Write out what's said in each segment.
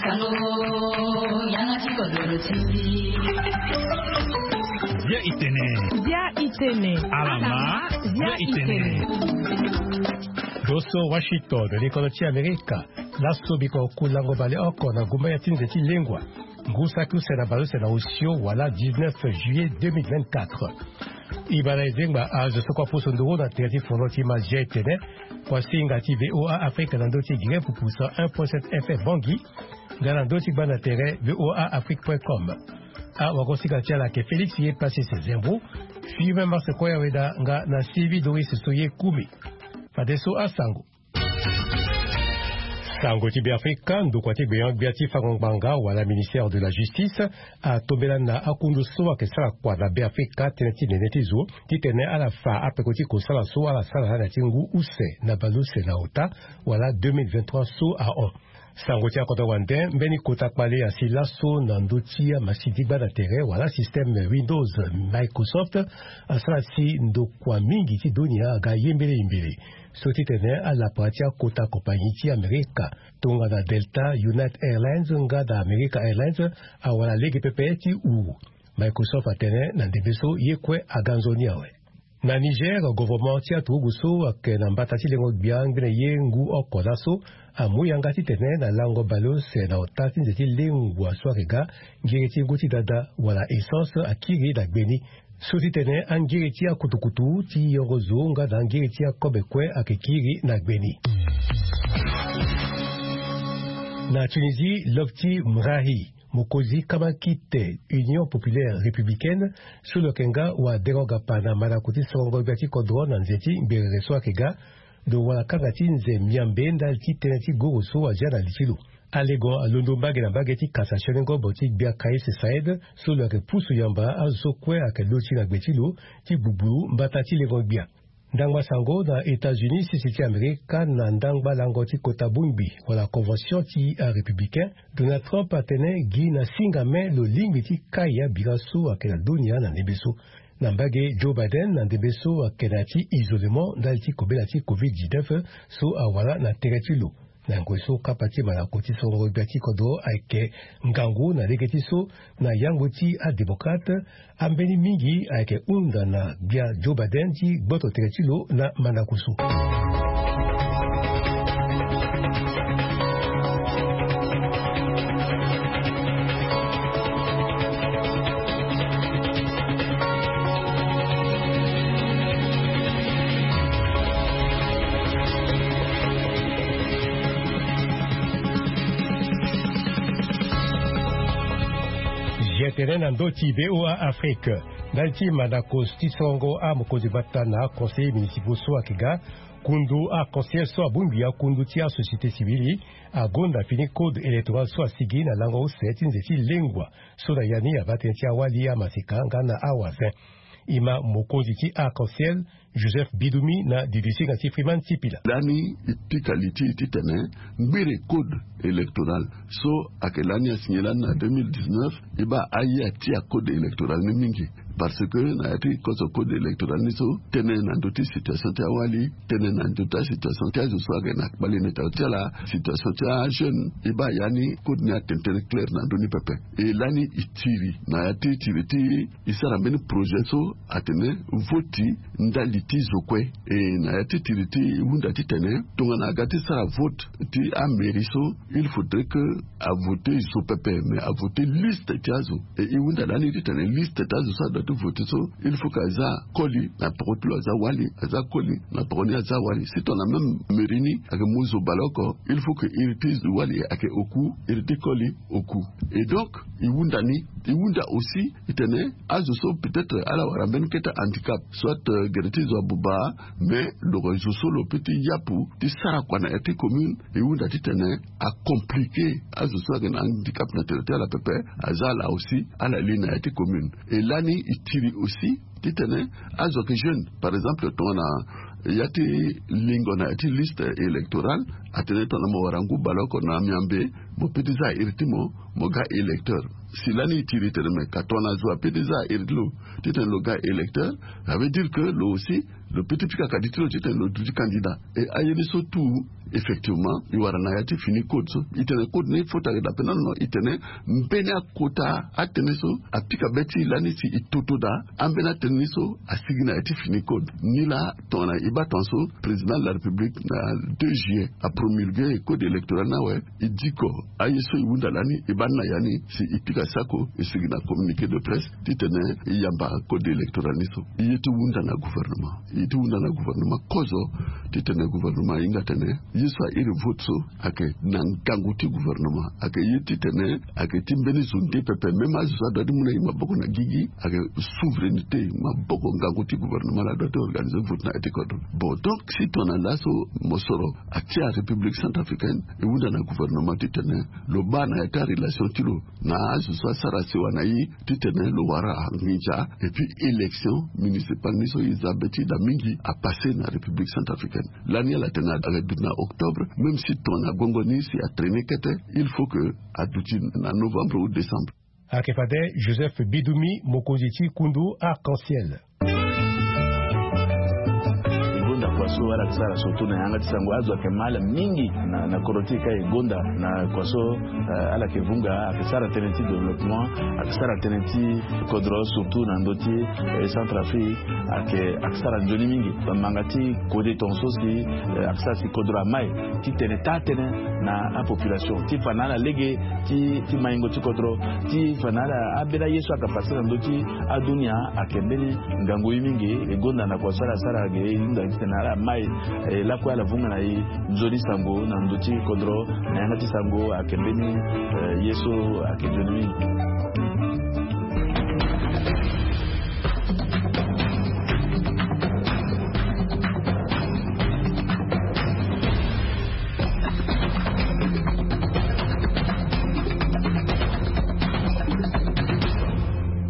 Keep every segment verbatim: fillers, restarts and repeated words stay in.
Sango, yanga ti kodoro ti. Bia itene. Bia itene. Alama. Bia itene. Doso Washington, likolo ti Amerika. Laso biko ku lango bale oko na gumba ya ti nze ti lengua. Ngu saki use na bale use na osio wala dix-neuf juillet deux mille vingt-quatre. Ibala ezengba azo so kua poso nduru na tere ti foro ti ma G T N. Kua singa ti V O A Afrique na ndö ti Guinée pupu cent un point sept F M Bangui. Nga na ndö ti gbanda tere V O A Afrique point com. Awagosinga ti ala ayeke Félix ye Pasis Zembo. Firmin Mars Koya Weda nga na Sylvie Doris so ye Kumi. Fadeso asango. Sango ti Beafrika, ndokua ti gbenyo-gbia ti fango ngbanga wala ministère de la justice atombela na akundu so ayeke sara kua na Beafrika tënë ti nene ti zo titene ala fa apeko ti kosala so ala sara na ya ti ngu use na baleuse na ota wala deux mille vingt-trois so ahon. Sango ti akodro wande mbeni kota kpale asi laso na ndö ti amasini ti gbanda tere wala système Windows. Microsoft asara si ndokua mingi ti dunia aga ye mbele ye mbele so titene alapa ti akota kompani ti Amerika tongana Delta, United Airlines nga na America Airlines awara lege pepe ti uru. Microsoft atene na ndembe so ye kue aga nzoni awe. Na Niger, governement ti aturugu so ayeke na mbata ti lengo-gbia ngbene ye ngu oko laso amu yanga titene na lango baleuse na ota ti nze ti lengua so ayeke ga ngiri ti ngu ti dada wala essence akiri na gbe ni. So titene angiri ti akutukutu ti yoro zo nga na angiri ti akobe kue ayeke kiri na gbe ni. Na Tunisie, lob ti Mrahi, mokonzi kama kite Union Populaire Républicaine so lo yeke nga wadengo gapa na mandako ti sorongo gbia ti kodro na nze ti ngberere so ayeke ga, lo wara kanga ti nze miambe ndali ti tënë ti goro so azia na li ti lo. Alego alondo mbage na mbage ti kasa sioni ngobo ti gbia Kais Saed so lo yeke pusu yamba azo so kue ayeke loti na gbe ti lo ti gbugburu mbata ti lengo gbia. Ndangba sango na États-Unis, sese ti Amerika na ndangba lango ti kota bongbi wala convention ti arépublicain, Donald Trump atene gi na singa me lo lingbi ti kai abira so ayeke na dunia na ndembe so. Na mbage Joe Biden na ndembe so ayeke na ya ti isolement ndali ti kobela ti covid dix-neuf so awara na tere ti lo. Na ngoi so kapa ti mandako ti sorongo gbia ti kodro ayeke ngangu na lege ti so na yangbu ti adémocrate, ambeni mingi ayeke hunda na gbia Joe Biden ti gboto tere ti lo na mandako so. G T N na ndö ti V O A Afrique. Ndali ti mandako ti sorongo amokonzi gbata na aconseiller municipaux so ayeke ga, kundu aconseiller so abongbi akundu ti asociété civile agonda fini code électoral so asigi na lango use ti nze ti lengua so na ya ni abaa tënë ti awali amaseka nga na awazen. E ma mokonzi ti arc-en-ciel Joseph Bidumi na didisinga ti Freeman Sipila. Lani e pika li ti e titene ngbere code électoral so ayeke lani asigné lani na deux mille dix-neuf, e baa aye ati acode électoral ni mingi. Parce que na ya ti kozo code électoral ni so, tënë na ndö ti situation ti awali, tënë na ndö ti asituation ti azo so ayeke na kpale na état ti ala, situation ti ajeune, e baa ya ni code ni atene tënë clair na ndö ni pepe. E lani e tiri na ya ti tiri ti e sara mbeni projet so atene voti ndali ti zo kue. E na ya ti tiri ti e hunda titene tongana aga ti sara vote ti amairie so, il faudrait que avote zo pepe, mais avote liste ti azo. E e hunda lani titene liste ti azo so adoit ti vote so, il faut que aza koli na peko ti lo aza wali, aza koli na peko ni aza wali. Si tongana même mairie ni ayeke mu zo baleoko, il faut que iri ti wali ayeke oku, iri ti koli oku. Et donc e hunda ni, e hunda aussi titene azo so peut-être ala wara mbeni kete handicap, soit, euh, gere ti zo abuba, mais lo yeke zo so lo peut ti yapu ti sara kua na ya ti commune. E hunda titene acompliqué azo so ayeke na handicap na tere ti ala pepe, aza ala aussi ala li na ya ti commune. E lani e tiri aussi titene azo ayeke jeune, par exemple tongana ya ti lingo na ya ti liste électorale, atene tongana mo wara ngu baleoko na miambe, mo peut ti za iri ti mo, mo ga électeur. Si lani e tiri tene me ka tongana zo apeut ti za iri ti lo titene lo ga électeur, ça veut dire que lo aussi Lo peti pika kadi ti lo titene lo duti candidat. E aye ni so tout, effectivement, e wara na ya ti fini code so. E tene code ni fota dape na no, e tene mbeni akota atene so apika be ti e lani si e toto daa ambeni atene ni so asigi na ya ti fini code. Nilaa tongana e baa tongaso président de la république na deux juillet apromulgué e code électoral ni awe. E diko aye so e hunda lani, e baa ni na ya ni si e pika sako e sigi na communiqué de presse titene e yamba code électoral ni so. E ye ti hunda na gouvernement, e ye ti hunda na gouvernement kozo titene gouvernement ahinga atene ye so a iri vote so ayeke na ngangu ti gouvernement, ayeke ye titene ayeke ti mbeni zo nde pepe. Même azo so adua ti mu na e maboko na gigi ayeke souveraineté, maboko ngangu ti gouvernement laa adua ti organiser vote na ya ti kodro. Bon, donc si tongana laso mosoro atia république centrafricaine, e hunda na gouvernement titene lo baa na ya ti arelation ti lo na azo so asara sewa na e titene lo wara nginza. Et puis élection municipale ni so e za be ti daa mingi apassé na république centrafricaine. Lani ala tene ayeke duti na octobre, même si tongana gongo ni si atraîné kete, il faut que aduti na novembre ou décembre. Ayeke fade Joseph Bidoumi, mokonzi ti kundu Arc-en-Ciel. E gonda kua so ala yeke sara surtout na yanga ti sango, azo ayeke ma ala mingi na, na kodro ti e ka e gonda na kua so, eh, ala yeke vunga, ayeke sara tënë ti développement, ayeke sara tënë ti kodro surtout na ndö ti, eh, Centrafrique, ayeke, ayeke sara nzoni mingi. Bamanga ti kode tongaso si, eh, ayeke sara si kodro amai ti tene taa tënë na apopulation ti fa na ala lege ti, ti maingo ti kodro, ti fa na ala ambeni aye so ayeke pase na ndö ti adunia ayeke mbeni ngangu ye mingi. E gonda na kua so ala sara ge e hunda titene ala mai, eh, lakue ala vunga na e nzoni sango na ndö ti kodro na yanga ti sango ayeke mbeni, eh, ye so ayeke nzoni mingi.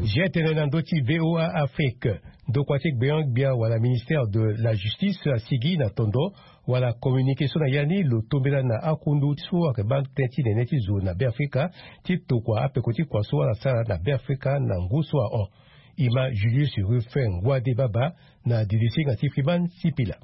Zia tene na ndö ti V O A Afrique. Ndokua ti gbeon-gbia wala ministère de la justice asigi na tondo wala communiqué so na ya ni lo tombela na akundu so ayeke baa tënë ti nene ti zo na Beafrika ti tokua apeko ti kua so ala sara na Beafrika na ngu so ahon. E ma Julius Rufin Ngwade Baba na didisinga ti Freeman Sipila.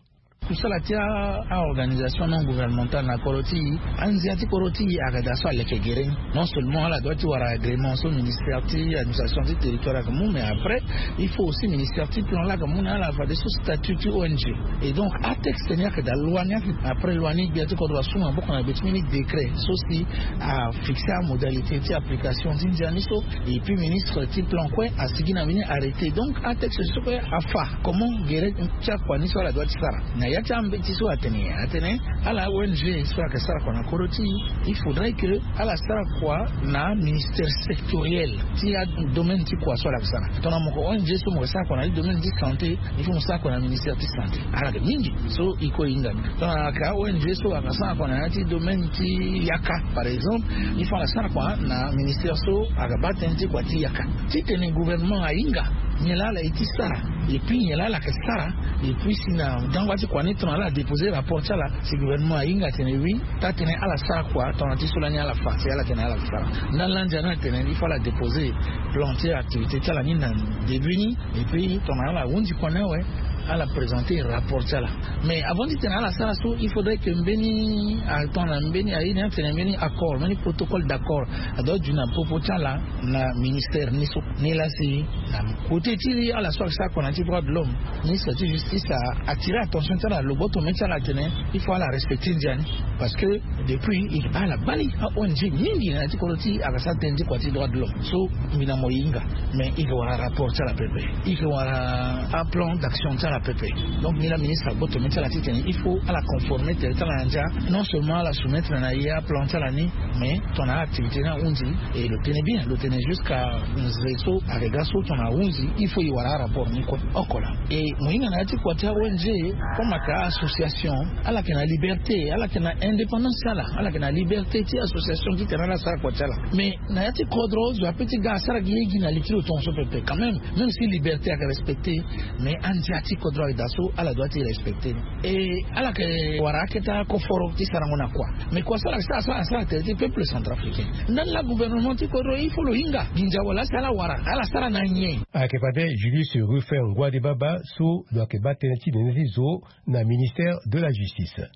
Kusala ti a-organisation non gouvernementale na kodro ti e, anzia ti kodro ti e ayeke daa so aleke gere ni. Non seulement ala dua ti wara agrément so ministère ti administration ti territoire ayeke mu, mais après il faut aussi ministère ti plan laa ayeke mu na ala fadeso statut ti O N G. Et donc atexte ni ayeke daa loi ni ayeke, après loi ni gbia ti kodro asu maboko na gbe ti mbeni décret so si afixé amodalité ti application ti ndia ni so. Et puis ministre ti plan kue asigi na mbeni arrêté. Donc atexte so kue afa comment gere ti akua ni so ala dua ti sara. Na ya ti ambeti so atene, atene ala O N G so ayeke sara kua na kodro ti e, il faudrait que ala sara kua na ministère sectoriel ti adomaine ti kua so ala yeke sara. Tongana mo yeke O N G so mo yeke sara kua na ya ti domaine ti santé, il faut mo sara kua na ministère ti santé. Ala yeke mingi so e kue e hinga ni. Tongana ayeke a-O N G so ayeke sara kua na ya ti domaine ti yaka par exemple, il faut ala sara kua na ministère so ayeke baa tënë ti kua ti yaka. Titene gouvernement ahinga nyen laa ala ye ti sara, et puis nyen laa ala yeke sara, et puis si na dangba ti kua ni tongana ala déposer rapport ti ala, si gouvernement ahinga atene oui, taa tënë ala sara kua tongana ti so lani ala fa si ala tene ala sara. Ndani landia ni atene il faut ala déposer plan ti activité ti ala ni na début ni, et puis tongana ala hunzi kua ni awe, ala présenter rapport ti ala. Mais avant ti tene ala sara so, il faudrait que mbeni atongana mbeni aye ni atene mbeni accord, mbeni protocole d'accord adua duti na popo ti ala na ministère ni so. Ni laa si na côté ti ala so ayeke sara kua na ya ti droit de l'homme, ministre ti justice a attirer attention ti ala, lo gboto mê ti ala atene il faut ala respecter ndia ni. Parce que depuis e baa ala bali a-O N G mingi na ya ti kodro ti e ayeke sara tënë ti kua ti droit de l'homme. So mbi na mo e hinga, mais e yeke wara rapport ti ala pepe, e yeke wara aplan d'action ti ala pepe. Donc ni laa ministre agboto mê ti ala titene il faut ala conformer tere ti ala na ndia. Non seulement ala soumettre na e aplan ti ala ni, mais tongana activité ni ahunzi, e lo tene bien, lo tene jusqu'à nzere so ayeke ga so tongana ahunzi il faut e wara arapport ni kue oko laa. E mo hinga na ya ti kua ti a-O N G, comme ayeke association, ala yeke na liberté, ala yeke na indépendance ti ala. Ala ala yeke na liberté ti association titene ala sara kua ti ala. Mais na ya ti kodro zo ape ti ga asara gi ye gi na li ti lo tongaso pepe quand même. Même si liberté ayeke respecté, mais andia ti kodro ayeke daa so ala doit ti respecté. E ala yeke wara akete akoforo ti sarango na kua. Mais kua so ala yeke sara so ala sara tere ti peuple centrafricain. Ndani laa gouvernement ti kodro il faut lo hinga nginza wala si ala wara ala sara na nyen? Ayeke fade Julius Rufin Ngouade Baba so lo yeke baa tënë ti nene ti zo na ministère de la justice.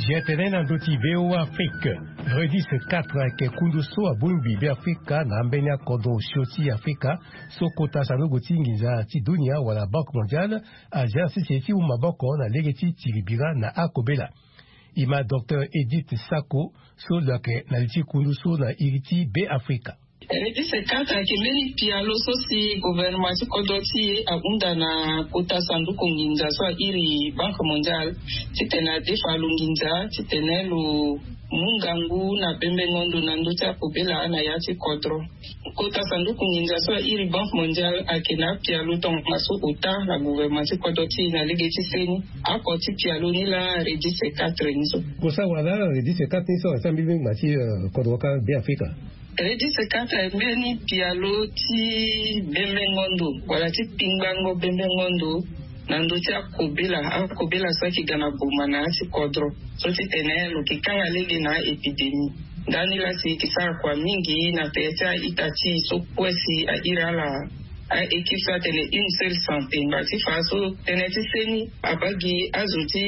Zia tene na ndö ti V O A Afrique. Redis quatre ayeke kundu so abongbi Beafrika na ambeni akodro osio ti Afrika so kota sanduku ti nginza ti dunia wala Banque Mondiale azia na sese ti mu maboko na lege ti tiri bira na akobela. E ma docteur Edith Sako so lo yeke na li ti kundu so na iri ti Beafrika. Redis quatre ayeke mbeni pialo so si gouvernement ti kodro ti e ahunda na kota sanduku nginza so airi Banque Mondiale titene adefa lo nginza titene lo mu ngangu na bembengo ndo na ndö ti akobela na ya ti kodro. Kota sanduku nginza so airi Banque Mondiale ayeke na apialo tongaso ota na gouvernement ti kodro ti e na lege ti seni. Oko ti pialo ni laa Redis quatre ni so. Kosa wala Redis quatre ni so asara mbeni ngba ti, eh, kodro ka Beafrika. Redis quatre ayeke mbeni pialo ti bembengo ndo wala ti pingbango bembengo ndo na ndö ti akobela, akobela so ayeke ga na boma na ya ti kodro so titene lo yeke kanga lege na aépidémie. Ndani laa si e yeke sara kua mingi na tere ti a-ita ti e so kue si airi ala a-équipe so atene une seule santé ngba ti fa so tënë ti seni abaa gi azo ti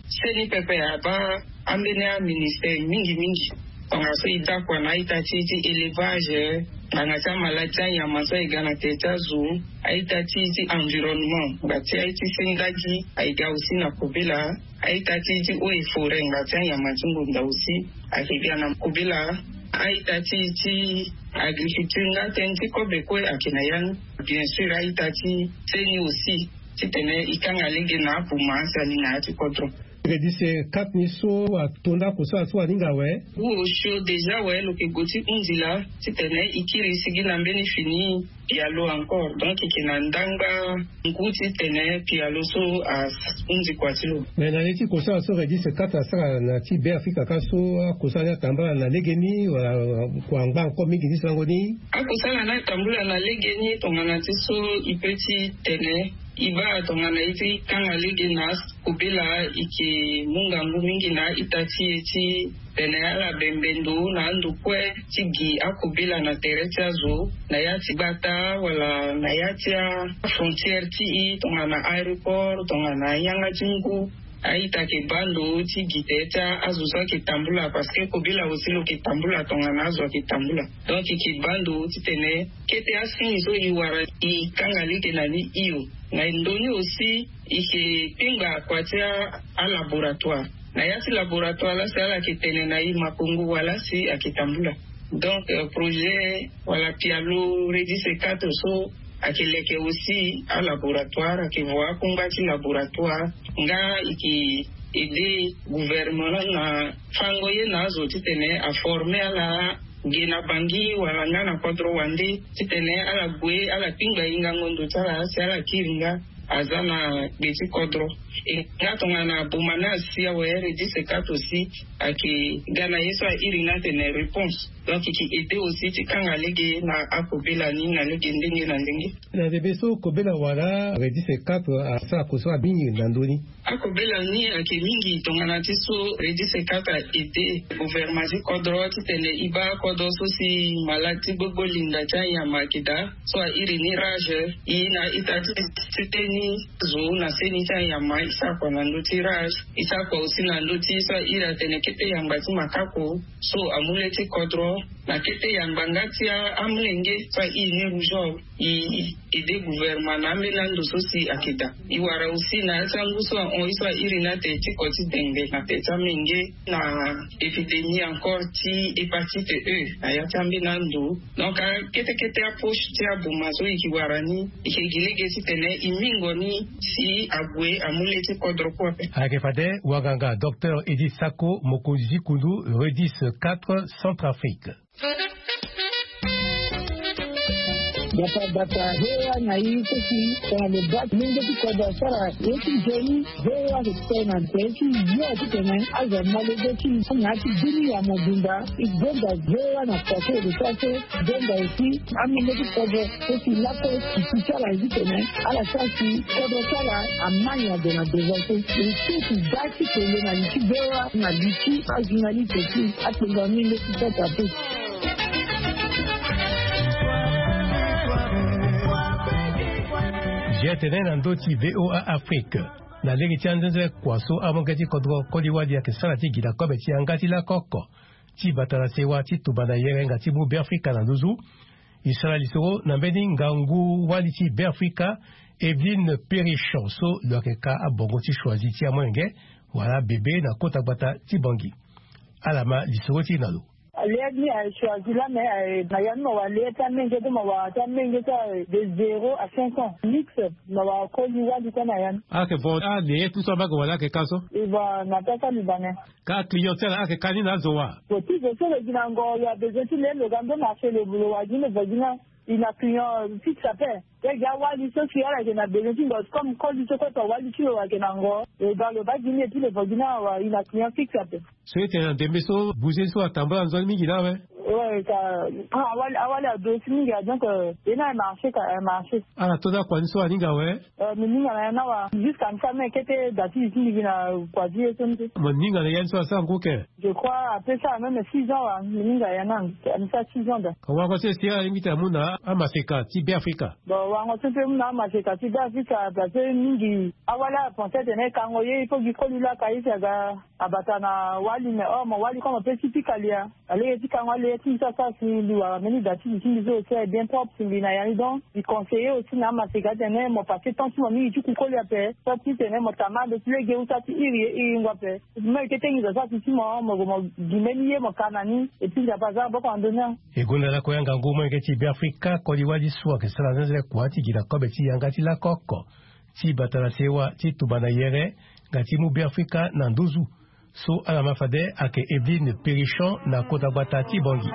seni pepe abaa ambeni aministère mingi mingi. Tongaso e daa kua na a-ita ti e ti élevage, ngbanga ti amaladi ti anyama so e ga na tere ti azo, a-ita ti e ti environnement ngba ti aye ti seni laa gi aye ga aussi na kobela. A-ita ti e ti eaux et forêt ngba ti anyama ti ngonda aussi ayeke ga na kobela. A-ita ti e ti agriculture nga tënë ti kobe kue ayeke na ya ni. Bien sûr a-ita ti seni aussi titene e kanga lege na aboma si ali na ya ti kodro. Redis quatre ni so ato ndako so aso aninga awe. Ngu osio déjà awe lo yeke gue ti hundi laa titene e kiri sigi na mbeni fini pialo encore donc e yeke na ndangba ngu titene pialo so ahundi kua ti lo. Mais na li ti kosala so Redis quatre asara na ti Beafrika ka so akosala ni atambula na legeni wala kua angba encore mingi ti sango ni? Akosala ni atambula na legeni tongana ti so e pe ti tene e baa tongana e ti kanga lege na kobela e yeke mu ngangu mingi na a-ita ti e ti tene ala bembe ndo na ando kue ti gi akobela na tere ti azo na ya ti gbata wala na ya ti afrontière ti e tongana aéroport tongana yanga ti ngu. A-ita yeke baa ndo ti gi tere ti azo so ayeke tambula parce que kobela aussi lo yeke tambula tongana azo ayeke tambula. Donc e yeke baa ndo titene kete asigne so e wara e kanga lege na ni hio. Na ndo ni aussi e yeke pingba kua ti alaboratoire. Na ya ti laboratoire laa si ala yeke tene na e makongo wala si ayeke tambula. Donc projet wala pialo Redis quatre so ayeke leke aussi alaboratoire ayeke voa akungba ti laboratoire nga e yeke aide gouvernement na fango ye na azo titene aforme ala ge na bangi wala nga na kodro wande titene ala gue ala pingba e ngango ndo ti ala si ala kiri nga aza na gbe ti kodro. E nga tongana boma ni asi awe Redis quatre aussi ayeke ga na ye so airi ni atene réponse. Donc e yeke aide aussi ti kanga lege na akobela ni na lege ndenge na ndenge. Na ndembe so kobela wala Redis quatre asara kosala mingi na ndö ni? Akobela ni ayeke mingi tongana ti so Redis quatre a aide gouvernement ti kodro titene e baa kodro so si maladi ti gbogbo linda ti anyama ayeke daa so airi ni rage. E na ita ti sete ni zo na seni ti anyama e sara kua na ndö ti rage. E sara kua aussi na ndö ti so airi atene kete yangba ti makako so amu le ti kodro na kete yangba nga ti amolenge so airi ni rougeole. E ede gouvernement na ambeni ando so si ayeke daa. E wara aussi na ya ti angu so ahon ye so airi ni atene ti ko ti dengbe na tene ti amenge, na épidémie encore ti hépatite E na ya ti ambeni ando. Donc akete kete apoche ti aboma so e ke wara ni, e ke gi lege titene e mingo ni si ague amu le ti kodro kue ape. Ayeke fade wanganga docteur Edith Sako, mokonzi ti kundu Redis quatre Centrafrique. Bata bata V O A na i so si tongana lo baa ti lenge ti kodro asara ye ti nzoni. V O A ayeke tene na nze ti yo titene azo amolenge ti i na ya ti bini ya mobimba. E gonda V O A na kua so e lo sara so. Gonda aussi amolenge ti kodro so si lakue e si ti ala ye titene ala sara si kodro ti ala ama nyen ade na devant so. E si e si daa ti kele na li ti V O A na li ti ajournaliste ti akpengba mingi ti sota pe. Zia tene na ndö ti V O A Afrique, na lege ti anzenze kua so amolenge ti kodro koli-wali ayeke sara ti gi na kobe ti yanga ti lako oko ti bata na sewa ti tumba na yere nga ti mu Beafrika na nduzu. E sara lisoro na mbeni ngangu-wali ti Beafrika, Evelyne Périchon, so lo yeke ka abongo ti choisi ti amolenge wala bebe na kota gbata ti Bangui. Ala ma lisoro ti e na lo. Aleya ni aye choisi lame aye na ya ni mo wara leya ti amenge ti mo wara ti amenge ti aye de zéro à cinq ans mix. Mo wara koli-wali kue na ya ni. Ayeke bon aleya ti so ambage wala ayeke ka so? E bon na pesa libanais. Ka client ti ala ayeke ka ni na azo wa? Bon ti zo so lo gi na ngo lo abezoin ti le lo ga ndo marché lo wara gi ni lo vo gi ni. E na client fixe ape. Lege awali so si ala yeke na bezoin ti ngo comme koli so kue to wali ti lo ayeke na ngo. E ga lo baa gi ni epui lo vo gi ni awa e na client fixe ape. So e tene na ndembe so bouger so atambula nzoni mingi na awe. Ouais ka. Awali awali ado si mingi a donc e na e marché ka e marché. Ala to da kua ni so aninga awe. Mo ninga na ya ni awa jusqu'à mi sara même kete da ti li ti mbi gi na kua ti ye so ni te. Mo ninga na ya ni so asara ngu ke? Je crois apesa même six ans wa mo ninga ya ni ande mi sara six ans da. Wango so e si ala lingbi ti amu na amaseka ti Beafrika. Bon wango so mpe mu na amaseka ti Beafrika parce que mingi awali apense atene e kango ye il faut gi koli laka ye si aga abata na wali mais or mo wali comme ape ti pika lia. Alege ti kango aleya ti mbi so asara si mbi wara mbeni da ti li ti mbi so aussi aye bien propre si mbi na ya ni donc mbi conseiller aussi na amaseka atene mo passe temps ti mo mingi ti ku koli ape. Propre titene mo tama ande ti lege usa ti iri ye iri ngu ape. Mo yeke tengi zo sara si ti mo mo gue mo gi mbeni ye mo ka na ni. Epui nzapa aza maboko na ndö ni. E gonda lakue angangu molenge ti Beafrika koli wali so ayeke sara zenze kua ti gi na kobe ti yanga ti lako oko ti bata na sewa ti tumba na yere nga ti mu Beafrika na nduzu. So ala ma fade ayeke Evelyne Périchon na kota gbata ti Bangui.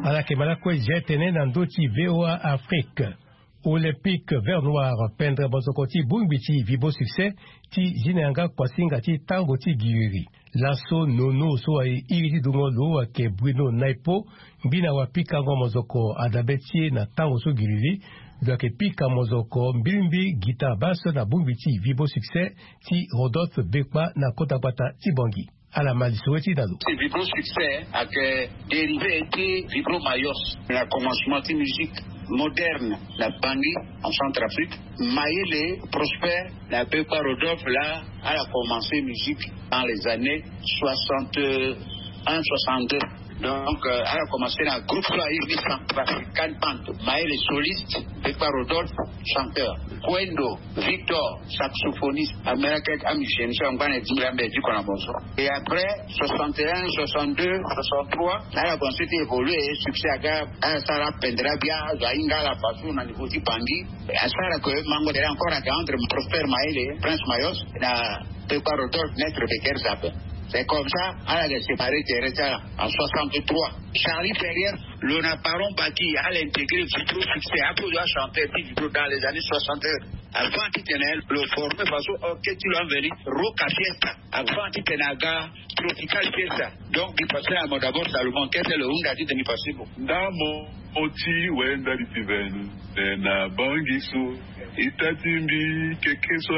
Ala yeke ma lakue zia tene na ndö ti VOA Afrique. Olympique Vert Noir pendre mozoko ti bongbi ti Vibo Succès ti zi na yanga kuasinga ti tango ti giriri. Laso nono so aye iri ti dungo lo ayeke Bruno Naipo, ngbi na wapikango mozoko adabe ti e na tango so giriri. Lo yeke pika mozoko mbirimbi guitare basse na bongbi ti Vibo Succès ti Rodolphe Bekpa na kota gbata ti Bangui. Ala ma lisoro ti na lo. Ti Vibro Succès ayeke dérivé ti Vibro Mayos. Na commencement ti musique moderne na Bangui, en Centrafrique. Mayele Prosper na Bekpa Rodolphe, là ala commencé musique dans les années soixante-un, soixante-deux. Donc euh, ala commencé na groupe so airi ni Centrafrican Band. Mayele soliste, Bekpa Rodolphe chanteur, Kwendo Victor saxophoniste, amelaka ti amusicien so angba na ti mbi ambe ti kona bonso. Et après soixante et un, soixante-deux, soixante-trois, ala commencé ti évoluer, succès aga. Ala sara pendera bia azo ahinga ala façon na niveau ti Bangui. Asara que mango dere encore aga entre Prosper Mayele, Prince Mayos, na Bekpa Rodolphe, maître Becker Zappe. C'est comme ça ala ga séparé terrain ti ala en soixante-trois. Charlie Ferrière, lo na Baron Baki, ala intégré Vibro Succès. Apo lo achanteur ti Vibro dans les années soixante. Avant ti tene lo formé faso orchestre ti lo aveni Roca Fiesta. Avant ti tene aga Tropical Fiesta. Donc mbi passé na mo d'abord Salomon, kete lo hunda ti tene mbi passé mo. Ndambo ti wenda li ti vene na bangi so ita ti mbi keke so.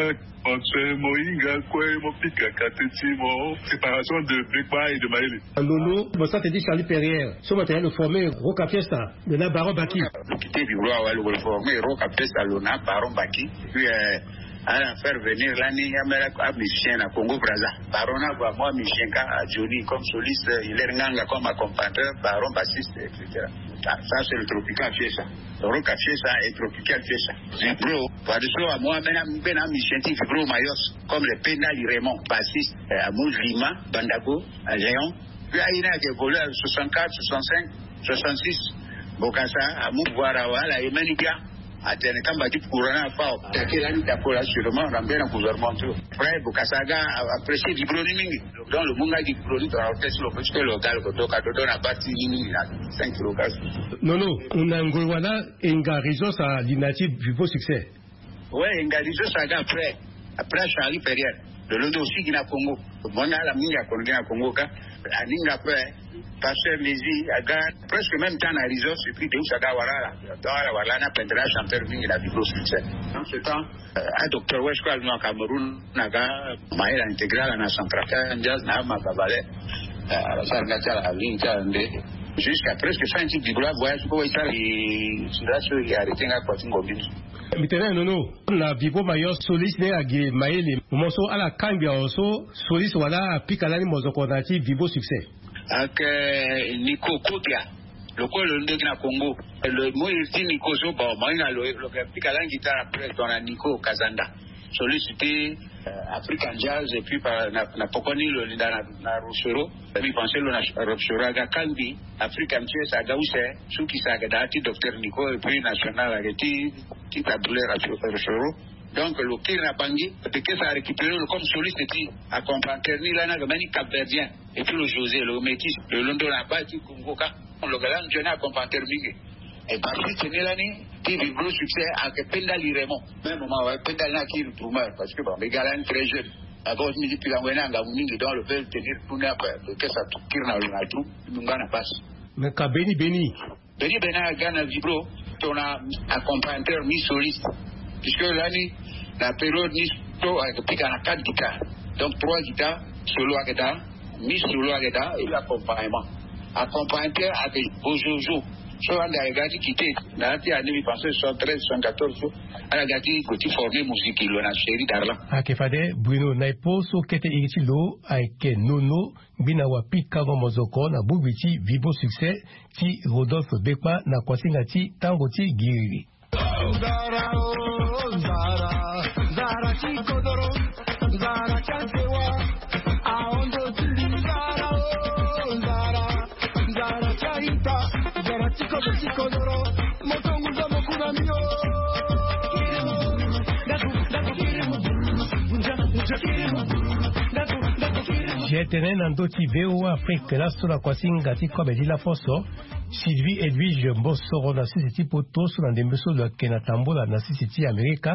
Entre mohinga kue mo pika kate ti mo. Séparation de Bekpa et de Maele. Lolo mo sara tene ti Charlie Perrière so mo tene lo formé Roca Fiesta, lo na Baron Baki. Lo quitté Vibro awe, lo formé Roca Fiesta, lo na Baron Baki. Puis euh, ala faire venir lani amera amusicien na Congo Brazza. Baron na ague amu amusicien kâ, Johnny comme soliste, Hilaire Nganga comme accompagnateur, Baron bassiste, et cetera. Ça, ça c'est le Tropical Fiesta. Roca Fiesta et Tropical Fiesta. Vibro, fadeso amu ambeni ambeni amusicien ti Vibro Mayos comme le Pendali Raymond, bassiste, euh, amu Lima Bandago, euh, Léon. Puis aye ni ayeke évolué à soixante-quatre, soixante-cinq, soixante-six. Bokassa amu pouvoir awe, ala ye mbeni bia. Atene kamba ti courant ni afa o. Attaqué lani dapo la sûrement na mbeni gouvernement ti lo. Après Bokassa aga apprécié Vibro ni mingi. Donc lo mu nga Vibro ni tongana orchestre lo peut ti lo ga lo ko doka dodo na bâ ti ni mingi na cinq kilogrammes. Non non, na ngoi wala e nga région sa li na ti Vibro Succès. Ouais, e nga région sa aga après. Après Charlie Perrière, lo londo aussi gi na Congo. Mo na ala mingi akono gi na Congo kâ. Aninga après Pasteur Lézy aga presque même temps na région, et puis Deus aga wara ala. Donc ala wara lani apendela chanteur mingi na Vibro Succès. En ce temps, euh, a docteur Wesh kue ali na Cameroun, na ga Maël a intégré ala na Centrafricain Jazz na Amaka Valley. Euh, ala sara nga ti ala aligné ti ala nde. Jusqu'à presque fin ti Vibro, voyage kue e sara e sira so e arrêté nga kua ti ngombi ni. Mbi tene nono na Vibro Mayos, soliste ni agi Maël. Mo so ala kangbi awe so soliste wala apika lani mozoko na ti Vibro Succès. Ake Nico Kodia. Lo kue lo ndoki na Congo. Lo mu iri ti Nico so, bon, mo hinga lo, lo ke pika lani guitare après tongana Nico Kazanda. Soliste ti, euh, African Jazz, et puis pa, na, na poko ni lo linda na, na Rochereau. Mbi pensé lo na Rochereau aga kangbi African Jazz aga use, sukisa aga daa ti docteur Nico, et puis national aga ti, ti tabule Rochereau. Donc lo kiri na Bangui, Bekessa a récupéré lo comme soliste ti accompagnateur ni lani aga mbeni Cap-Verdien. Et puis lo José, lo métis, lo londo na bâ ti Congo kâ. Lo ga lani nzoni accompagnateur mingi. Et par suite ni lani ti Vibro Succès ayeke Pendali Raymond. Même moment awe Pendali ni akiri drummer parce que bon, mbi ga lani très jeune. D'abord mbi ti pikango ye ni angangu mingi, donc lo veut tenir tout ni ape. Bekessa kiri na lo na drum, mbi nga na basse. Mais ka beni beni. Beni beni aga na Vibro tongana accompagnateur mi soliste. Puisque lani na période ni so ayeke pika na quatre guitares. Donc trois guitares solo ayeke daa, mi solo ayeke daa, et puis accompagnement. Accompagnateur ayeke Bozozo. So ande ayeke ga ti quitté na ya ti année mbi pensé soixante-treize, soixante-quatorze so, ala ga ti gue ti former musique lo na Chéri Darlan. Ayeke fade Bruno na e po so kete iri ti lo ayeke nono. Ngbina wapikango mozoko na bongbi ti Vibro Succès ti Rodolphe Bekpa na kuasinga ti tango ti giriri. Nzara, oh, nzara, nzara ti kodoro, nzara ti asewa, ahondo ti mbi nzara, oh, nzara, nzara ti aita, nzara ti kodoro, ti kodoro, moto nguza mokuna mio. G T N na ndö ti V O A Afrique laso na kuasinga ti kobe ti lafoso. Sylvie Edwige Mbosoro na sese ti poto so na ndembe so lo yeke na tambola na sese ti Amerika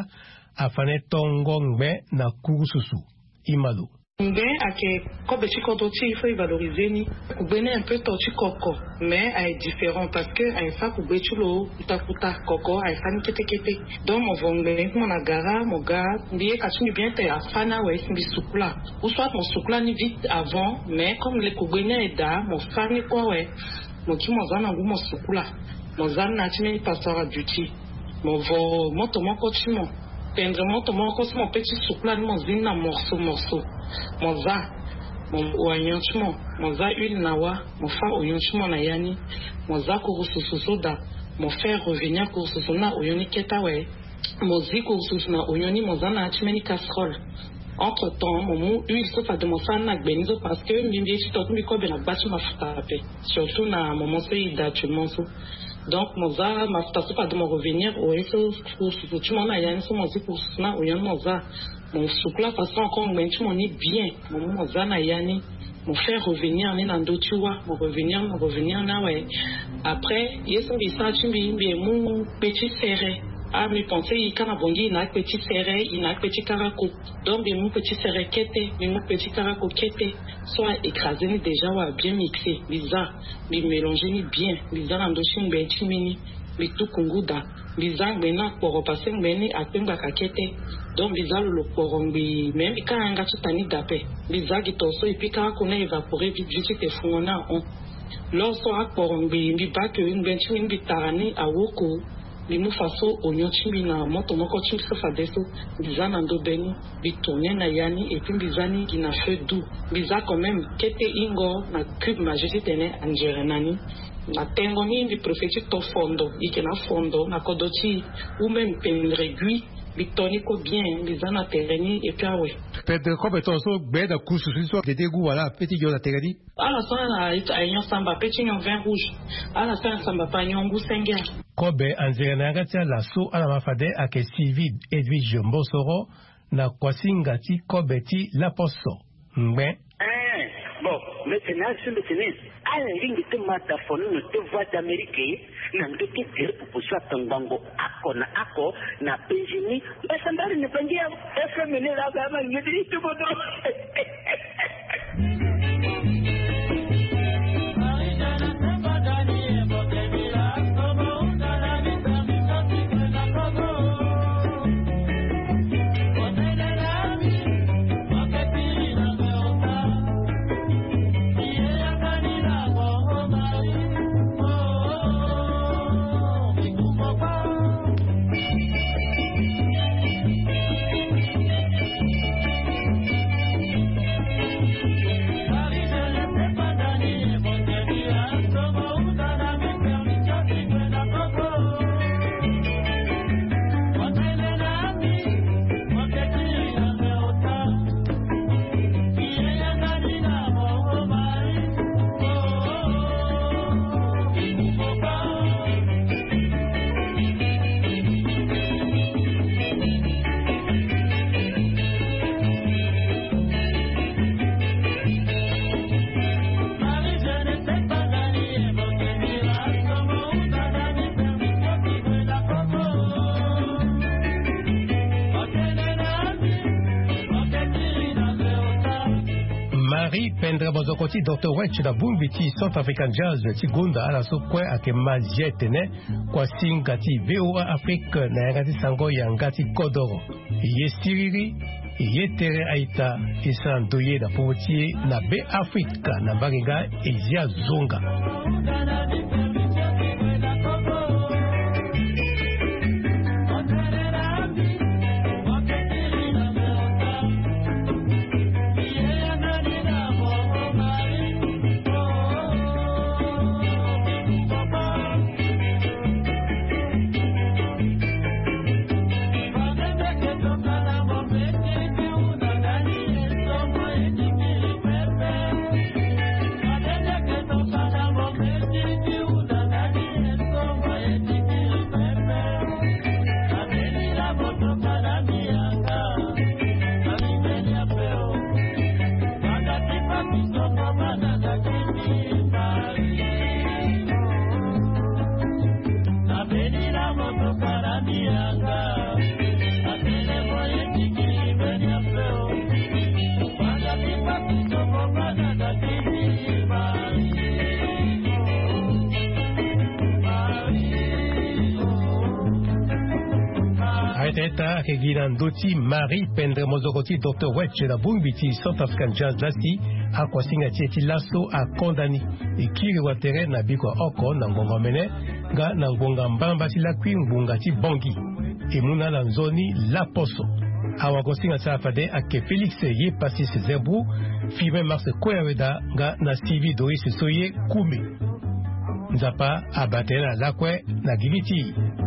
afa na e tongo ngbe na kurususu. Imalo. Ngbe ayeke kobe ti kodro ti e, il faut e valoriser ni. Kugbe ni un peu to ti koko, mais aye différent parce que aye fa kugbe ti lo kuta kuta, koko aye fa ni kete kete. Donc mo vo ngbe ti mo na gara, mo ga mbi ye ka ti mbi bien te afa ni awe si mbi sukula. Ou soit mo sukula ni vite avant, mais comme le kugbe ni aye daa, mo fa ni kue awe. Mo ki mo za na ngu mo sukula. Mo za ni na ya ti mbeni passoire à duty. Mo vo moto moko ti mo, tendre moto moko ti mo pe ti sukula ni, mo zi ni na morceau morceau. Mo za, mo oignon ti mo, mo za huile na wa, mo fa oignon ti mo na ya ni. Mo za kurususu so daa, mo faire revenir kurususu ni na oignon ni kete awe. Mo zi kurususu na oignon ni, mo za na ya ti mbeni casserole. Entre temps mo mu huile so fade mo sara ni na gbe ni so, parce que mbi mbi ye ti to ti mbi kobe na gba ti mafuta ape, surtout na moment so e daa actuellement so. Donc mo za mafuta so fade mo revenir oye so kurususu ti mo na ya ni so, mo zi kurususu na oignon ni mo za. Mo sukula façon encore ngbe ti mo ni bien, mo mu mo za na ya ni. Mo fait revenir ni na ndö ti wa, mo revenir, mo revenir ni awe. Après ye so mbi sara ti mbi, mbi mu kpe ti sere. Ah, mbi pense e ka na bongi e na akpe ti sere, e na akpe ti karako. Donc mbi mu kpe ti sere kete, mbi mu kpe ti karako kete. So a écrasé ni déjà, wa bien mixé. Mbi za, mbi mélangé ni bien. Mbi za na ndö ti ngbe ti mbi ni. Mbi tuku ngu daa. Mbi za ngbe ni akporo, parce que ngbe ni akpe ngbaka kete. Donc mbi za lo lo kporo ngbii, mais mbi ka yanga ti ta ni daa ape. Mbi za gi to so, et puis karako ni a évaporé vite vite, ti te fungo ni ahon. Lo so akporo ngbii, mbi baa ke ngbe ti mbi ni mbi tara ni awoko. Mbi mu fa so oignon ti mbi na moto moko ti mbi so fadeso. Mbi za na ndö be ni, mbi tourné na ya ni, et puis mbi za ni gi na feu doux. Mbi za quand même kete hingo na cube Maggi titene anzere na ni. Na tengo ni mbi préféré ti to fondo, e yeke na fondo na kodro ti e, ou même pendre gui. Mbi to ni kue bien, mbi za na tere ni, et puis awe. Pendre kobe tongaso gbe na kusu so gede gu wala pe ti nyon na tere ni. Ala so ala aignon samba pe ti nyon vin rouge. Ala so ala samba pe aignon ngu senge. Kobe anzere na yanga ti ala so ala ma fade ayeke Sylvie Edwige Mosoro, na kuasinga ti kobe ti laposo. Ngbe. Eh, bon, mbi tene asi mbi tene, ala lingbi ti ma da fo ni na ti Voix d'Amérique, na ndö ti tere pupu so atongbango oko na oko na Benjini. Mbi sambari na Bangi ya F M ni laa, ba ma ngedi ti bodo. Marie Pendre Mozoko ti Docteur Wetch na bongbi ti Centre African Jazz ti gonda ala so kue ayeke ma zia tene kuasinga ti V O A Afrique na yanga ti sango yanga ti kodoro. Ye siriri, ye tere a-ita, e sara ndoye na popo ti e na Be Afrika na mbage nga e zia zonga. Areta eta ayeke gi na ndö ti Marie Pendre Mozoko ti Docteur Wetch na bongbi ti Centre African Jazz lasi. Akuasinga ti e ti laso akonda ni. E kiri watere na biko ya oko na ngonga omene nga na ngonga mbamba ti lakui ngbonga ti Bangui. E mu na ala nzoni laposo. Awagosinga ti ala fade ayeke Félix Ye Passis Zerbrou, Firmin Marc Koyaweda nga na Sylvie Doris Soye Koumé. Nzapa abaa tënë na lakue na gigi ti e.